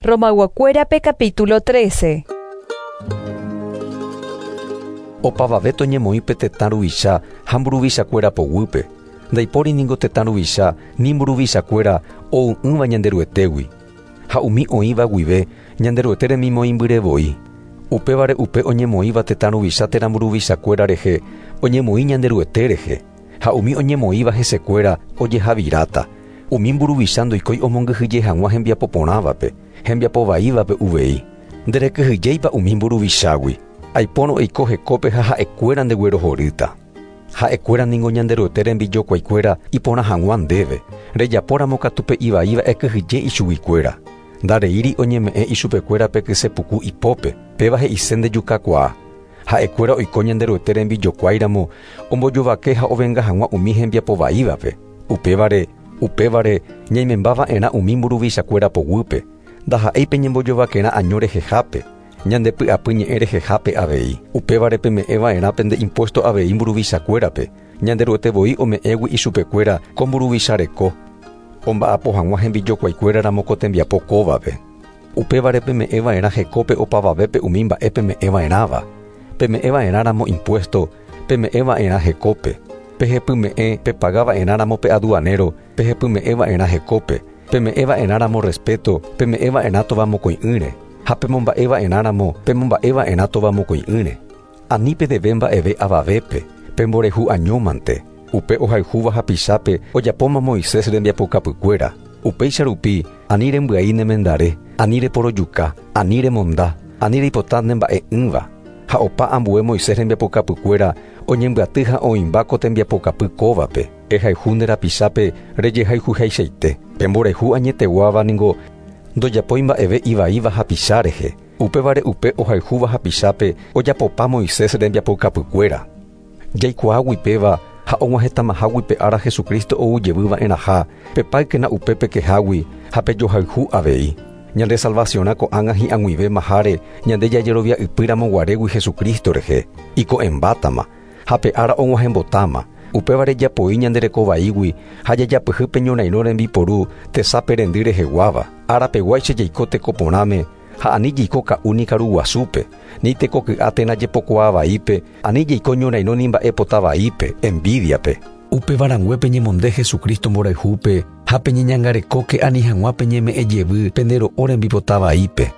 Romayguakuérape capítulo 13. Opavave toñemoĩ pe tetã ruvicha ha mburuvichakuéra poguýpe. Ndaipóri ningo tetã ruvicha ni mburuvichakuéra ou'ỹva Ñanderuetégui. Ha umi oĩva guive Ñanderuete remimoĩmbyre voi. Upévare upe oñemoĩva tetã ruvicha térã mburuvichakuéra rehe oñemoĩ Ñanderuete rehe, ha umi oñemoĩva hesekuéra ojehaviráta. Umi mburuvicha ndoikói omongyhyje hag̃ua hembiapo porãvape, hembiapo vaívape uvei. Nderekyhyjéipa umi mburuvichágui? Aipórõ eiko hekópe ha ha'ekuéra ndeguerohorýta. Ha'ekuéra ningo Ñanderuete rembijokuaikuéra iporã hag̃ua ndéve, rejapóramo katu pe ivaíva ekyhyje ichuguikuéra. Ndareíri oñeme'ẽ ichupekuéra pe kyse puku ipópe, péva he'ise ndejukakuaa. Ha'ekuéra oiko Ñanderuete rembijokuáiramo ombojovake ha ovenga hag̃ua umi hembiapo vaívape. Upévare, upévare, ñaimemba va'erã umi mburuvichakuéra poguýpe, ndaha'éi pe ñembojovakerã año rehehápe, ñande py'apy ñe'ẽ rehehápe avei. Upévare peme'ẽ va'erã pende impuesto avei mburuvichakuérape, Ñanderuete voi ome'ẽgui ichupekuéra ko mburuvicha reko, omba'apo hag̃ua hembijokuaikuéra ramo ko tembiapo kóvape. Upévare peme'ẽ va'erã hekópe opavavépe umi mba'e peme'ẽ va'erãva. Peme'ẽ va'erã ramo impuesto, peme'ẽ va'erã hekópe. Pehepyme'ẽ pepaga va'erã ramo pe aduanero, pehepyme'ẽ va'erã hekópe. Peme'ẽ va'erã ramo respeto, peme'ẽ va'erã tovamokõi'ỹre. Ha pemomba'e va'erã ramo, pemomba'e va'erã tovamokõi'ỹre. Ani pedeve mba'eve avavépe, pemborehu añómante. Upe ohayhúva hapichápe ojapóma Moisés rembiapokapykuéra. Upéicha rupi, ani rembyai ne mendare, ani reporojuka, ani remonda, ani reipota ne mba'e'ỹva. Ha opa ambue Moisés rembiapokapykuéra oñembyaty ha oĩmba ko tembiapokapy kóvape, Ehayhu nde rapichápe rejehayhuhaichaite. Pe mborayhu añeteguáva ningo ndojapói mba'eve ivaíva hapicha rehe. Upévare upe ohayhúva hapichápe ojapopa Moisés rembiapokapykuéra. Jaikuaágui péva ha og̃uahẽtamahágui pe ára Jesucristo ou jevy va'erãha, pepáykena upe pekehágui ha pejohayhu avei. Ñande salvasiõrã ko'ág̃a hi'ag̃uivéma háre ñande jajerovia ypy ramo guarégui Jesucristo rehe, iko'ẽmbátama, ha pe ára og̃uahẽmbotáma. Upévare japoi ñande reko vaígui ha jajapyhy pe ñorairõ rembiporu tesape rendy reheguáva, árapeguáicha jaiko teko porãme, Ha ani jaiko ka'u ni karu guasúpe, ni teko ky'a térã jepokuaa vaípe, ani jaiko ñorairõ ni mba'e pota vaípe, envidia-pe. Upéva rangue peñemonde Jesucristo mborayhúpe ha peñeñangarekóke ani hag̃ua peñeme'ẽ jevy pende ro'o rembipota vaípe.